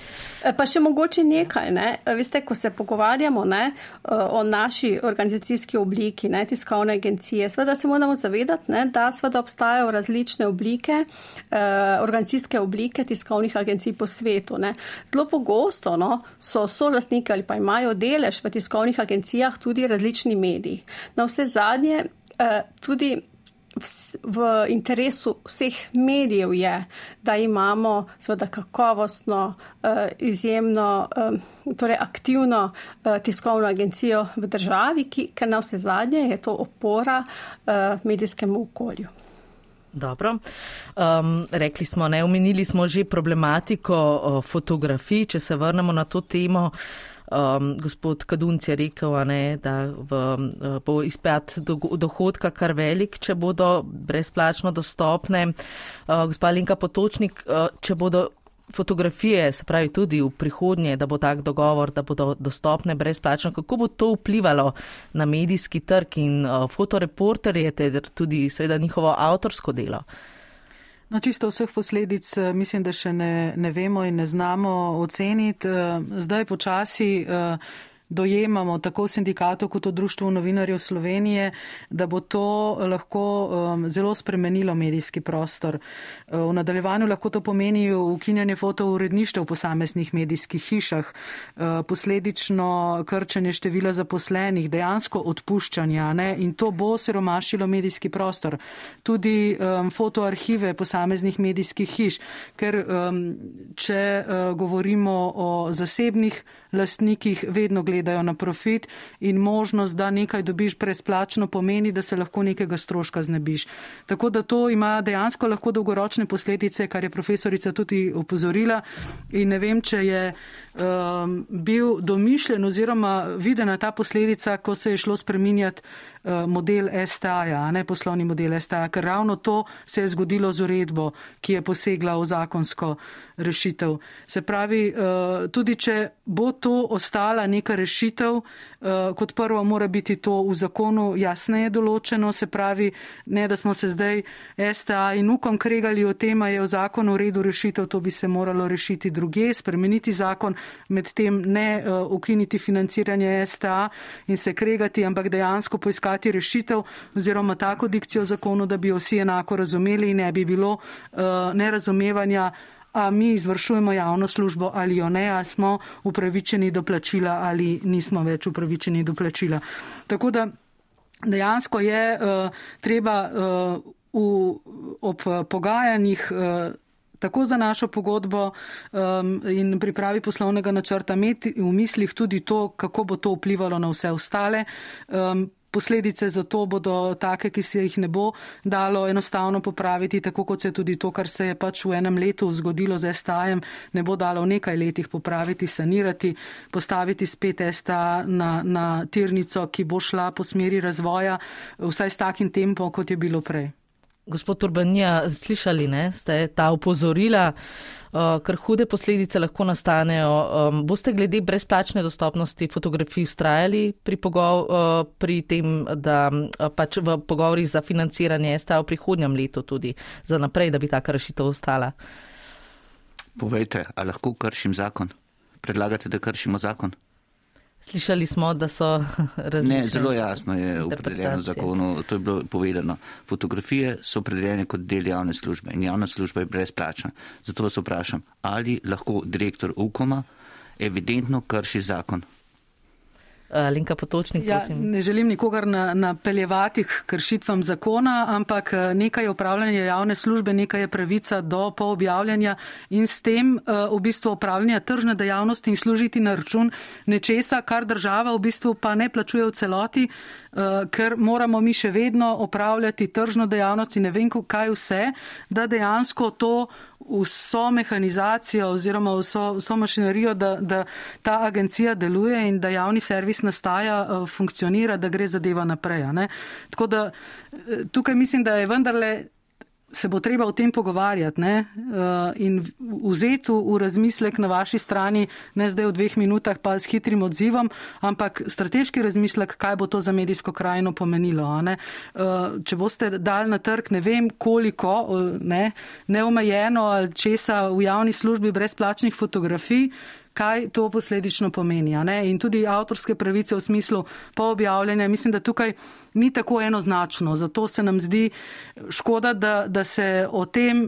Pa še mogoče nekaj, ne, veste, ko se pogovarjamo ne, o naši organizacijski obliki, ne, tiskovne agencije, seveda se moramo zavedati, ne, da seveda obstajajo različne oblike, eh, organizacijske oblike tiskovnih agencij po svetu. Ne. Zelo pogosto no, so solastniki ali pa imajo delež v tiskovnih agencijah tudi različni mediji. Na vse zadnje eh, tudi v interesu vseh medijev je, da imamo seveda kakovostno, izjemno, torej aktivno tiskovno agencijo v državi, ki, ker na vse zadnje je to opora medijskemu okolju. Dobro. Um, rekli smo, ne, omenili smo že problematiko uh, fotografij, če se vrnemo na to temo. Um, gospod Kadunc je rekel, ne, da v, uh, bo izpad do, dohodka kar velik, če bodo brezplačno dostopne. Uh, gospa Alenka Potočnik, uh, če bodo fotografije, se pravi tudi v prihodnje, da bo tak dogovor, da bodo dostopne brezplačno, kako bo to vplivalo na medijski trg in uh, fotoreporterje, ter tudi seveda njihovo avtorsko delo? No, čisto vseh posledic mislim, da še ne, ne vemo in ne znamo oceniti. Zdaj počasi dojemamo tako v sindikatu kot v Društvu novinarjev Slovenije, da bo to lahko um, zelo spremenilo medijski prostor. V nadaljevanju lahko to pomeni ukinjanje fotouredništev v posameznih medijskih hišah, posledično krčenje števila zaposlenih, dejansko odpuščanja, ne? In to bo siromašilo medijski prostor. Tudi um, fotoarhive posameznih medijskih hiš, ker um, če uh, govorimo o zasebnih lastnikih, vedno gledajo na profit in možnost, da nekaj dobiš brezplačno, pomeni, da se lahko nekega stroška znebiš. Tako da to ima dejansko lahko dolgoročne posledice, kar je profesorica tudi opozorila, in ne vem, če je um, bil domišljen oziroma videna ta posledica, ko se je šlo spreminjati uh, model S T A-ja, ne poslovni model S T A, ker ravno to se je zgodilo z uredbo, ki je posegla v zakonsko rešitev. Se pravi, uh, tudi če bo to ostala neka rešitev, uh, kot prvo mora biti to v zakonu jasneje določeno, se pravi, ne da smo se zdaj S T A in Ukom kregali o tem, je v zakonu v redu rešitev, to bi se moralo rešiti druge, spremeniti zakon, medtem ne uh, ukiniti financiranje S T A in se kregati, ampak dejansko poiskati rešitev oziroma tako dikcijo zakonu, da bi jo vsi enako razumeli in ne bi bilo uh, nerazumevanja, a mi izvršujemo javno službo ali jo ne, a smo upravičeni do plačila ali nismo več upravičeni do plačila. Tako da dejansko je uh, treba uh, v, ob pogajanjih uh, tako za našo pogodbo um, in pripravi poslovnega načrta imeti v mislih tudi to, kako bo to vplivalo na vse ostale. Um, Posledice za to bodo take, ki se jih ne bo dalo enostavno popraviti, tako kot se tudi to, kar se je pač v enem letu zgodilo z S T A-jem, ne bo dalo v nekaj letih popraviti, sanirati, postaviti spet S T A na, na tirnico, ki bo šla po smeri razvoja, vsaj s takim tempom, kot je bilo prej. Gospod Urbanija, slišali, ne, ste ta opozorila, uh, ker hude posledice lahko nastanejo. Um, boste glede brezplačne dostopnosti fotografij vztrajali pri, pogov, uh, pri tem, da uh, pač v pogovorih za financiranje S T A v prihodnjem letu tudi za naprej, da bi taka rešitev ostala? Povejte, a lahko kršim zakon? Predlagate, da kršimo zakon? Slišali smo, da so različne. Ne, zelo jasno je opredeljeno v zakonu, to je bilo povedano. Fotografije so opredeljene kot del javne službe in javna služba je brezplačna. Zato vas vprašam, ali lahko direktor Ukoma evidentno krši zakon? Alenka Potočnik, prosim. Ja, ne želim nikogar napeljevati k kršitvam zakona, ampak nekaj je upravljanje javne službe, nekaj je pravica do poobjavljanja in s tem v bistvu upravljanja tržne dejavnosti in služiti na račun nečesa, kar država v bistvu pa ne plačuje v celoti, ker moramo mi še vedno upravljati tržno dejavnost in ne vem kaj vse, da dejansko to vso mehanizacijo oziroma vso, vso mašinerijo, da, da ta agencija deluje in da javni servis nastaja, funkcionira, da gre zadeva naprej. Ne? Tako da tukaj mislim, da je vendarle se bo treba o tem pogovarjati, ne? In vzeti v razmislek na vaši strani, ne zdaj v dveh minutah pa s hitrim odzivom, ampak strateški razmislek, kaj bo to za medijsko krajino pomenilo. Ne? Če boste dali na trg, ne vem koliko, ne, neomejeno ali česa v javni službi brezplačnih fotografij, kaj to posledično pomeni. Ne? In tudi avtorske pravice v smislu poobjavljanja, mislim, da tukaj ni tako enoznačno. Zato se nam zdi škoda, da, da se o tem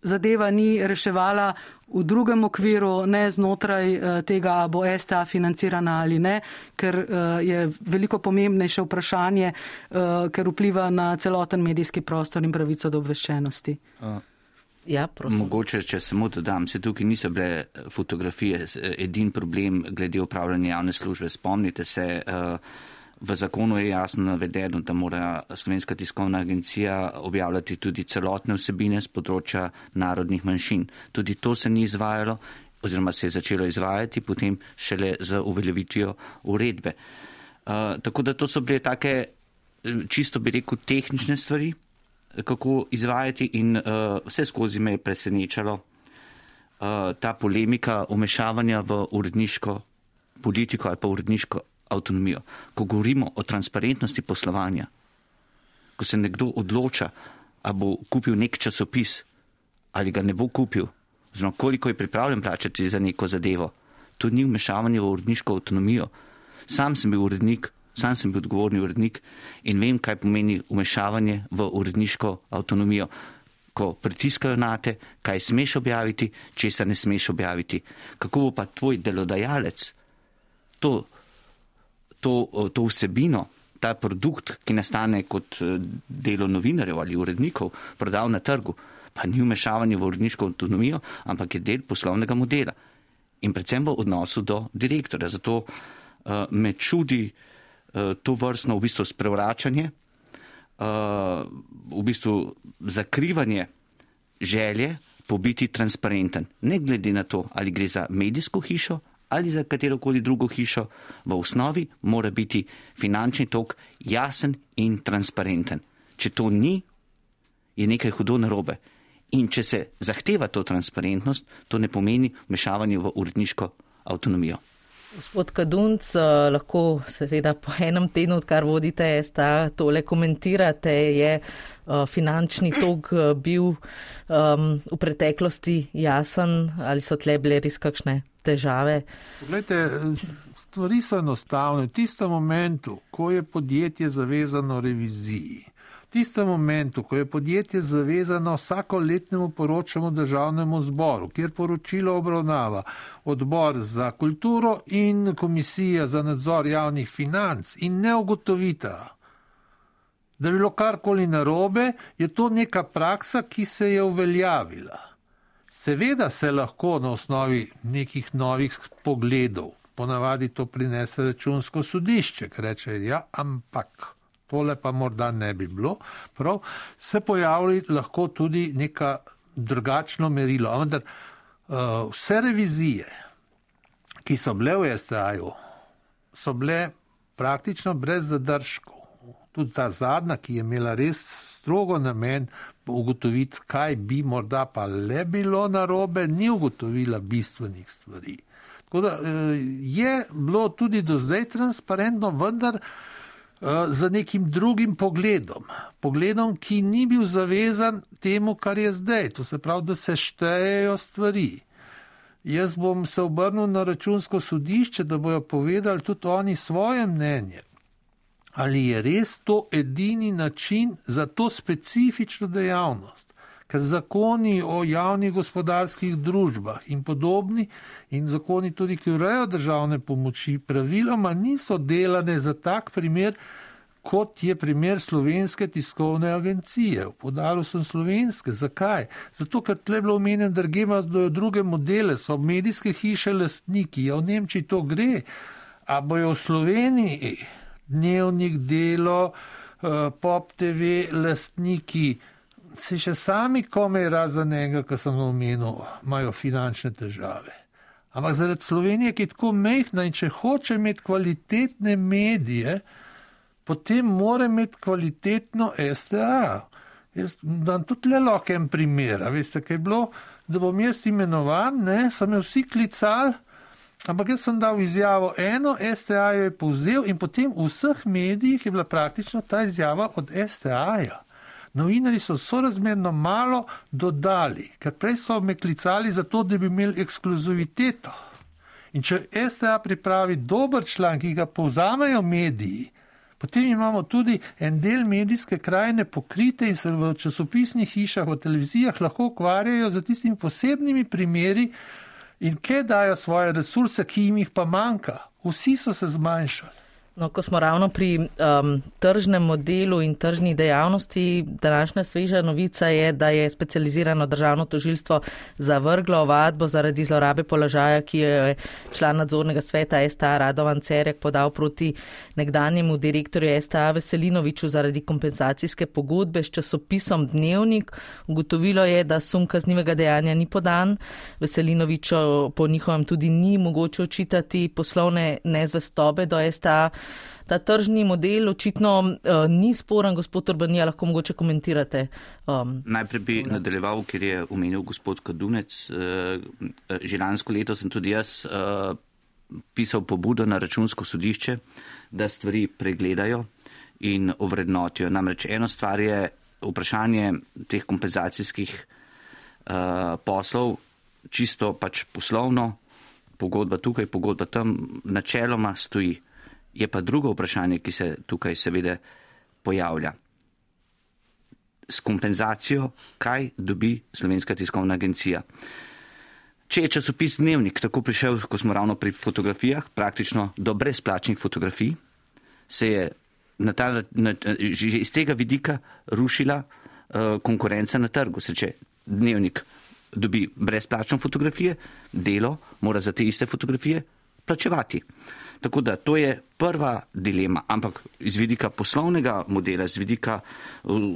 zadeva ni reševala v drugem okviru, ne znotraj tega, bo S T A financirana ali ne, ker je veliko pomembnejše vprašanje, ker vpliva na celoten medijski prostor in pravico do obveščenosti. Ja, mogoče, če samo dodam, se tukaj niso bile fotografije, edin problem glede upravljanja javne službe. Spomnite se, v zakonu je jasno navedeno, da mora Slovenska tiskovna agencija objavljati tudi celotne vsebine z področja narodnih manjšin. Tudi to se ni izvajalo, oziroma se je začelo izvajati, potem šele z uveljavitvijo uredbe. Uh, tako da to so bile take, čisto bi rekel, tehnične stvari, kako izvajati in uh, vse skozi me je presenečalo uh, ta polemika umešavanja v uredniško politiko ali pa uredniško avtonomijo. Ko govorimo o transparentnosti poslovanja, ko se nekdo odloča, a bo kupil nek časopis ali ga ne bo kupil, oziroma koliko je pripravljen plačati za neko zadevo, to ni vmešavanje v uredniško avtonomijo. Sam sem bil urednik, sam sem bil odgovorni urednik in vem, kaj pomeni vmešavanje v uredniško avtonomijo. Ko pritiskajo na te, kaj smeš objaviti, česa ne smeš objaviti. Kako bo pa tvoj delodajalec to To, to vsebino, ta produkt, ki nastane kot delo novinarjev ali urednikov, prodal na trgu, pa ni vmešavanje v uredniško avtonomijo, ampak je del poslovnega modela. In predvsem v odnosu do direktorja. Zato uh, me čudi uh, to vrstno v bistvu sprevračanje, uh, v bistvu zakrivanje želje po biti transparenten. Ne glede na to, ali gre za medijsko hišo, ali za katerokoli drugo hišo, v osnovi mora biti finančni tok jasen in transparenten. Če to ni, je nekaj hudo narobe. In če se zahteva to transparentnost, to ne pomeni vmešavanje v uredniško avtonomijo. Gospod Kadunc, lahko seveda po enem tednu, odkar vodite S T A, tole komentirate, je finančni tok bil um, v preteklosti jasen ali so tle bile res kakšne težave? Poglejte, stvari so enostavne. V tistem momentu, ko je podjetje zavezano reviziji, v tistem momentu, ko je podjetje zavezano vsakoletnemu poročanju državnemu zboru, kjer poročilo obravnava odbor za kulturo in komisija za nadzor javnih financ in ne ugotovita, da je bilo karkoli narobe, je to neka praksa, ki se je uveljavila. Seveda se lahko na osnovi nekih novih pogledov, ponavadi to prinese računsko sodišče, ki reče, ja, ampak tole pa morda ne bi bilo, prav, se pojavi lahko tudi neka drugačno merilo. Ampak uh, vse revizije, ki so bile v S T A-ju, so bile praktično brez zadržkov. Tudi ta zadnja, ki je imela res strogo namen ugotoviti, kaj bi morda pa le bilo narobe, ni ugotovila bistvenih stvari. Tako da je bilo tudi do zdaj transparentno, vendar za nekim drugim pogledom. Pogledom, ki ni bil zavezan temu, kar je zdaj. To se pravi, da se štejejo stvari. Jaz bom se obrnil na računsko sodišče, da bojo povedali tudi oni svoje mnenje. Ali je res to edini način za to specifično dejavnost? Ker zakoni o javnih gospodarskih družbah in podobni in zakoni tudi, ki urejajo državne pomoči, praviloma niso delane za tak primer, kot je primer Slovenske tiskovne agencije. Poudaril sem slovenske. Zakaj? Zato, ker tle je bilo omenjeno, da imajo druge modele, so medijske hiše lastniki. Ja, v Nemčiji to gre. A bojo v Sloveniji Dnevnik, Delo, Pop T V, lastniki, se še sami komaj razen enega, ki sem omenil, imajo finančne težave. Ampak zaradi Slovenije, ki je tako mehna in če hoče imeti kvalitetne medije, potem mora imeti kvalitetno S T A. Jaz dam tudi le lahko en primer. Veste, kaj je bilo, da bom jaz imenovan, ne, so me vsi klicali, ampak jaz sem dal izjavo eno, S T A jo je povzel in potem v vseh medijih je bila praktično ta izjava od S T A-ja. Novinari so sorazmerno malo dodali, ker prej so me klicali za to, da bi imeli ekskluziviteto. In če S T A pripravi dober članek, ki ga povzamejo mediji, Potem imamo tudi en del medijske krajine pokrite in se v časopisnih hišah, v televizijah lahko ukvarjajo za tistimi posebnimi primeri in kje dajo svoje resurse, ki jim jih pa manjka. Vsi so se zmanjšali. No, ko smo ravno pri um, tržnem modelu in tržni dejavnosti, današnja sveža novica je, da je specializirano državno tožilstvo zavrglo ovadbo zaradi zlorabe položaja, ki je član nadzornega sveta S T A Radovan Cerek podal proti nekdanjemu direktorju S T A Veselinoviču zaradi kompenzacijske pogodbe s časopisom Dnevnik. Ugotovilo je, da sum kaznivega dejanja ni podan. Veselinoviču po njihovem tudi ni mogoče očitati poslovne nezvestobe do S T A. Ta tržni model očitno uh, ni sporen, gospod Urbanija, lahko mogoče komentirate. Um, Najprej bi tole. nadaljeval, ker je omenil gospod Kadunec. Uh, že lansko leto sem tudi jaz uh, pisal pobudo na Računsko sodišče, da stvari pregledajo in ovrednotijo. Namreč eno stvar je vprašanje teh kompenzacijskih uh, poslov, čisto pač poslovno, pogodba tukaj, pogodba tam, načeloma stoji. Je pa drugo vprašanje, ki se tukaj seveda pojavlja. S kompenzacijo, kaj dobi Slovenska tiskovna agencija. Če je časopis Dnevnik tako prišel, ko smo ravno pri fotografijah, praktično do brezplačnih fotografij, se je na ta, na, že iz tega vidika rušila uh, konkurenca na trgu. Se če Dnevnik dobi brezplačno fotografije, Delo mora za te iste fotografije plačevati. Tako da to je prva dilema, ampak iz vidika poslovnega modela, iz vidika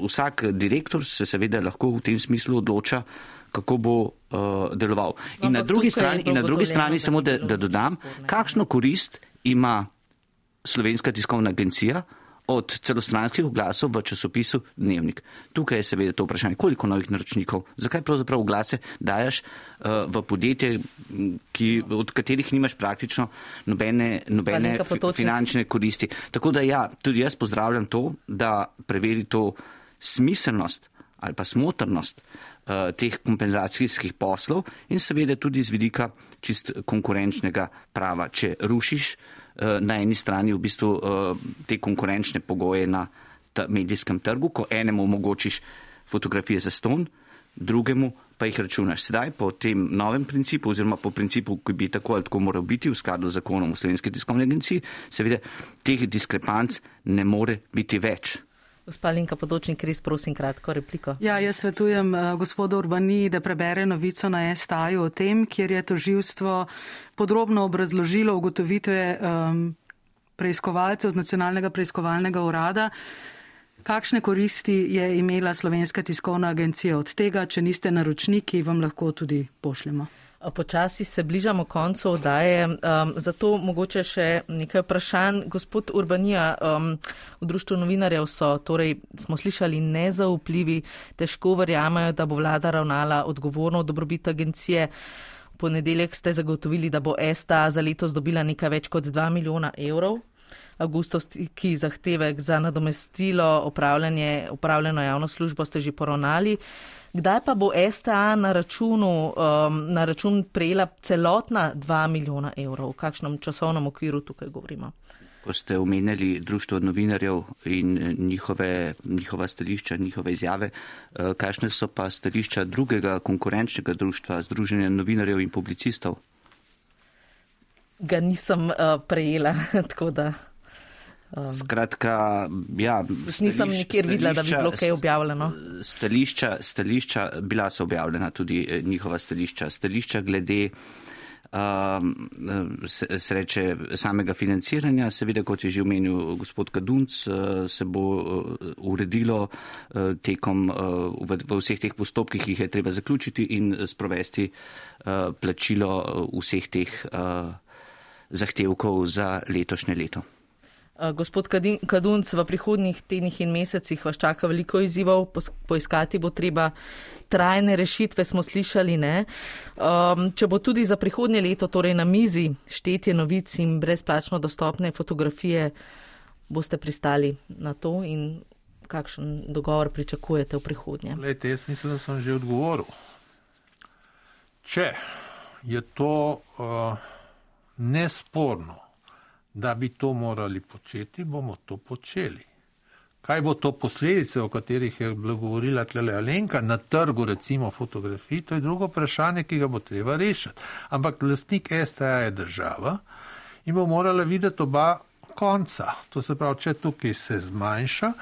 vsak direktor se seveda lahko v tem smislu odloča, kako bo uh, deloval. In no, na drugi strani, in na drugi strani samo, da, da dodam, kakšno korist ima Slovenska tiskovna agencija od celostranskih oglasov v časopisu Dnevnik. Tukaj je seveda to vprašanje, koliko novih naročnikov, zakaj pravzaprav oglase dajaš uh, v podjetje, ki, od katerih nimaš praktično nobene, nobene finančne koristi. Tako da ja, tudi jaz pozdravljam to, da preveri to smiselnost ali pa smotrnost uh, teh kompenzacijskih poslov in seveda tudi z vidika čist konkurenčnega prava. Če rušiš na eni strani v bistvu te konkurenčne pogoje na medijskem trgu, ko enemu omogočiš fotografije za ston, drugemu pa jih računaš. Sedaj po tem novem principu oziroma po principu, ki bi tako ali tako moral biti v skladu z zakonom o Slovenski tiskovni agenciji, seveda teh diskrepanc ne more biti več. Gospa Alenka Potočnik, res prosim kratko repliko. Ja, jaz svetujem uh, gospodu Urbaniji, da prebere novico na S T A-ju o tem, kjer je tožilstvo podrobno obrazložilo ugotovitve um, preiskovalcev z Nacionalnega preiskovalnega urada, kakšne koristi je imela Slovenska tiskovna agencija od tega, če niste naročniki, vam lahko tudi pošljemo. Počasi se bližamo koncu oddaje, um, zato mogoče še nekaj vprašanj. Gospod Urbanija, um, v Društvu novinarjev so, torej smo slišali, nezaupljivi, težko verjamejo, da bo vlada ravnala odgovorno v dobrobit agencije. V ponedeljek ste zagotovili, da bo S T A za letos dobila nekaj več kot dva milijona evrov. Avgustovski zahtevek za nadomestilo opravljeno javno službo ste že poravnali. Kdaj pa bo S T A na, računu, um, na račun prejela celotna dva milijona evrov? V kakšnem časovnem okviru tukaj govorimo? Ko ste omenjali Društvo novinarjev in njihove, njihova stališča, njihove izjave, kakšne so pa stališča drugega konkurenčnega društva, Združenja novinarjev in publicistov? Ga nisem uh, prejela, tako da... Um, Skratka, ja... Nisem nikjer videla, da bi bilo kaj objavljeno. Stališča, stališča, bila so objavljena tudi njihova stališča. Stališča glede um, sreče samega financiranja, seveda, kot je že omenil gospod Kadunc, se bo uredilo tekom v, v vseh teh postopkih, ki jih je treba zaključiti in sprovesti uh, plačilo vseh teh uh, zahtevkov za letošnje leto. Gospod Kadunc, v prihodnjih tednih in mesecih vas čaka veliko izzivov, poiskati bo treba trajne rešitve, smo slišali, ne? Um, če bo tudi za prihodnje leto, torej na mizi, štetje novic in brezplačno dostopne fotografije, boste pristali na to in kakšen dogovor pričakujete v prihodnje? Lejte, jaz mislim, da sem že odgovoril. Če je to uh, nesporno, da bi to morali početi, bomo to počeli. Kaj bo to posledice, o katerih je govorila tlele Alenka, na trgu recimo fotografij, to je drugo vprašanje, ki ga bo treba rešiti. Ampak lastnik S T A je država in bo morala videti oba konca. To se pravi, če tukaj se zmanjša,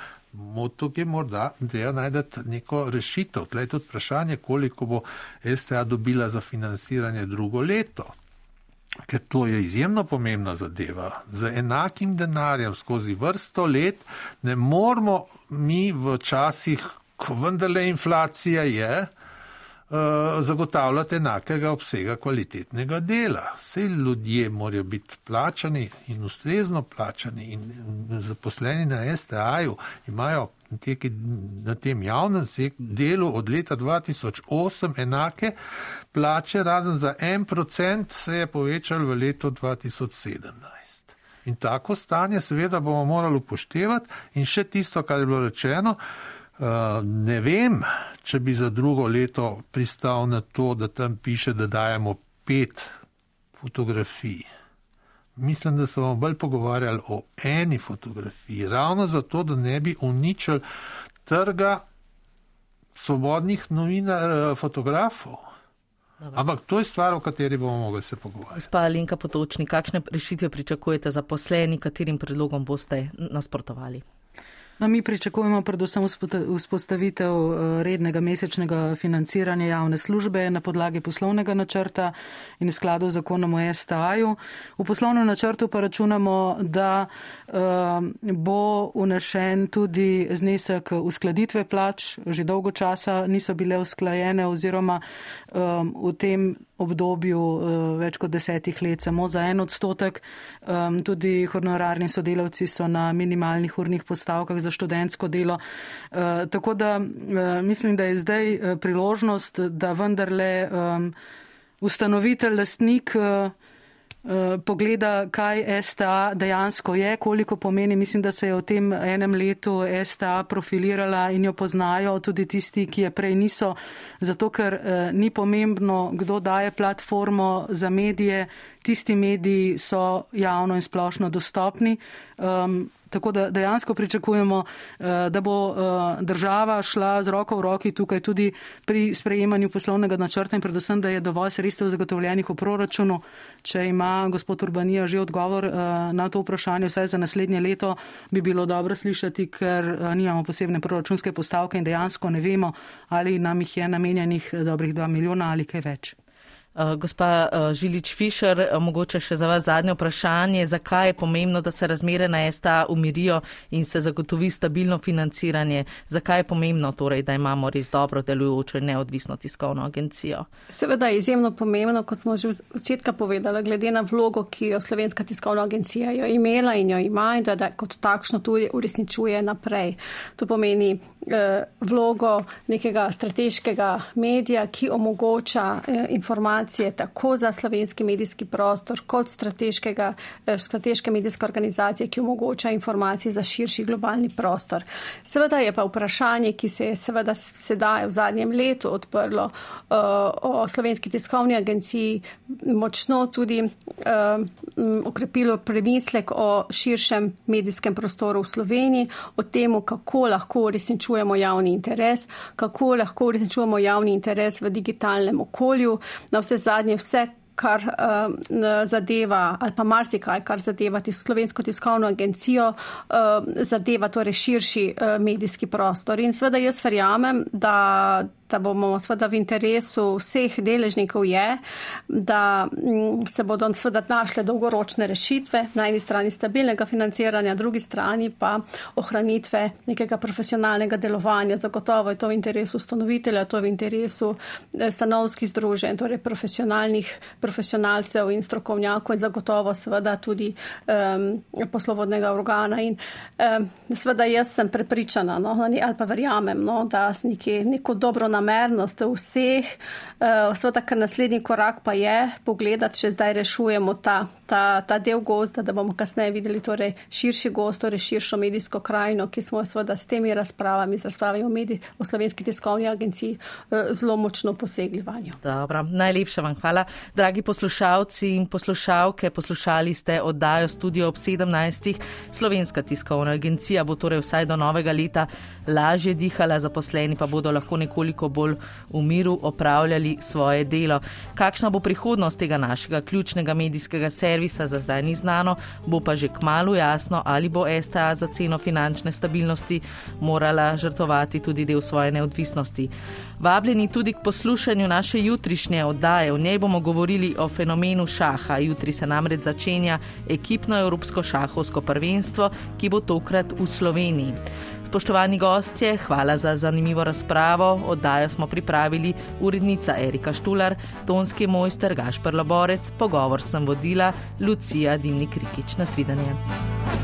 tukaj morda treba najdeti neko rešitev. Tle je tudi vprašanje, koliko bo S T A dobila za financiranje drugo leto. Ker to je izjemno pomembna zadeva. Z enakim denarjem skozi vrsto let ne moramo mi v časih, ko vendarle inflacija je, zagotavljati enakega obsega kvalitetnega dela. Vse ljudje morajo biti plačani in ustrezno plačani in zaposleni na S T A-ju imajo na tem javnem delu od leta dva tisoč osem enake plače, razen za en procent se je povečal v letu dva tisoč sedemnajst. In tako stanje seveda bomo morali upoštevati in še tisto, kar je bilo rečeno, ne vem, če bi za drugo leto pristal na to, da tam piše, da dajemo pet fotografij. Mislim, da se bomo bolj pogovarjali o eni fotografiji, ravno zato, da ne bi uničili trga svobodnih novinar, fotografov. Dobre. Ampak to je stvar, o kateri bomo mogli se pogovarjati. Gospa Alenka Potočnik, kakšne rešitve pričakujete zaposleni, katerim predlogom boste nasprotovali? No, mi pričakujemo predvsem vzpostavitev rednega mesečnega financiranja javne službe na podlagi poslovnega načrta in v skladu z zakonom o S T A-ju. V poslovnem načrtu pa računamo, da uh, bo unešen tudi znesek uskladitve plač. Že dolgo časa niso bile usklajene oziroma um, v tem obdobju uh, več kot desetih let samo za en odstotek. Um, tudi honorarni sodelavci so na minimalnih urnih postavkah za študentsko delo. Uh, tako da uh, mislim, da je zdaj uh, priložnost, da vendarle um, ustanovitelj, lastnik uh, uh, pogleda, kaj S T A dejansko je, koliko pomeni. Mislim, da se je v tem enem letu S T A profilirala in jo poznajo tudi tisti, ki je prej niso, zato ker uh, ni pomembno, kdo daje platformo za medije. Tisti mediji so javno in splošno dostopni. Um, tako da dejansko pričakujemo, uh, da bo uh, država šla z roko v roki tukaj tudi pri sprejemanju poslovnega načrta in predvsem, da je dovolj sredstev zagotovljenih v proračunu. Če ima gospod Urbanija že odgovor uh, na to vprašanje, vsaj za naslednje leto, bi bilo dobro slišati, ker uh, nimamo posebne proračunske postavke in dejansko ne vemo, ali nam jih je namenjenih dobrih dva milijona ali kaj več. Gospa Žilič-Fišer, mogoče še za vas zadnje vprašanje, zakaj je pomembno, da se razmere na S T A umirijo in se zagotovi stabilno financiranje? Zakaj je pomembno torej, da imamo res dobro delujočo in neodvisno tiskovno agencijo? Seveda je izjemno pomembno, kot smo že od začetka povedali, glede na vlogo, ki jo Slovenska tiskovna agencija jo imela in jo ima in da kot takšno tudi uresničuje naprej. To pomeni eh, vlogo nekega strateškega medija, ki omogoča eh, informacije tako za slovenski medijski prostor kot strateškega, strateške medijske organizacije, ki omogoča informacije za širši globalni prostor. Seveda je pa vprašanje, ki se je seveda sedaj v zadnjem letu odprlo uh, o Slovenski tiskovni agenciji, močno tudi uh, okrepilo premislek o širšem medijskem prostoru v Sloveniji, o temu, kako lahko uresničujemo javni interes, kako lahko uresničujemo javni interes v digitalnem okolju. Na vse zadnje vse, kar uh, zadeva, ali pa marsikaj, kar zadeva tis, Slovensko tiskovno agencijo, uh, zadeva torej širši uh, medijski prostor. In seveda jaz verjamem, da da bomo seveda v interesu vseh deležnikov je, da se bodo seveda našle dolgoročne rešitve, na eni strani stabilnega financiranja, na drugi strani pa ohranitve nekega profesionalnega delovanja. Zagotovo je to v interesu ustanovitelja, to je v interesu stanovskih združenj, torej profesionalnih profesionalcev in strokovnjakov in zagotovo seveda tudi um, poslovodnega organa. In um, seveda jaz sem prepričana, no, ali pa verjamem, no, da nekje neko dobro nam dobronamernost vseh. Sveda, kar naslednji korak pa je pogledati, če zdaj rešujemo ta, ta, ta del gozda, da bomo kasneje videli torej širši gozd, torej širšo medijsko krajino, ki smo sveda s temi razpravami, z razpravami o, medij, o Slovenski tiskovni agenciji zelo močno posegli vanjo. Dobro, najlepša vam hvala. Dragi poslušalci in poslušalke, poslušali ste oddajo Studio ob sedemnajstih. Slovenska tiskovna agencija bo torej vsaj do novega leta lažje dihala, zaposleni pa bodo lahko nekoliko bolj v miru opravljali svoje delo. Kakšna bo prihodnost tega našega ključnega medijskega servisa, za zdaj ni znano, bo pa že kmalu jasno, ali bo S T A za ceno finančne stabilnosti morala žrtvovati tudi del svoje neodvisnosti. Vabljeni tudi k poslušanju naše jutrišnje oddaje. V njej bomo govorili o fenomenu šaha. Jutri se namreč začenja ekipno evropsko šahovsko prvenstvo, ki bo tokrat v Sloveniji. Spoštovani gostje, hvala za zanimivo razpravo. Oddajo smo pripravili urednica Erika Štular, tonski mojster Gašper Loborec, pogovor sem vodila Lucija Dimnik Rikič. Nasvidenje.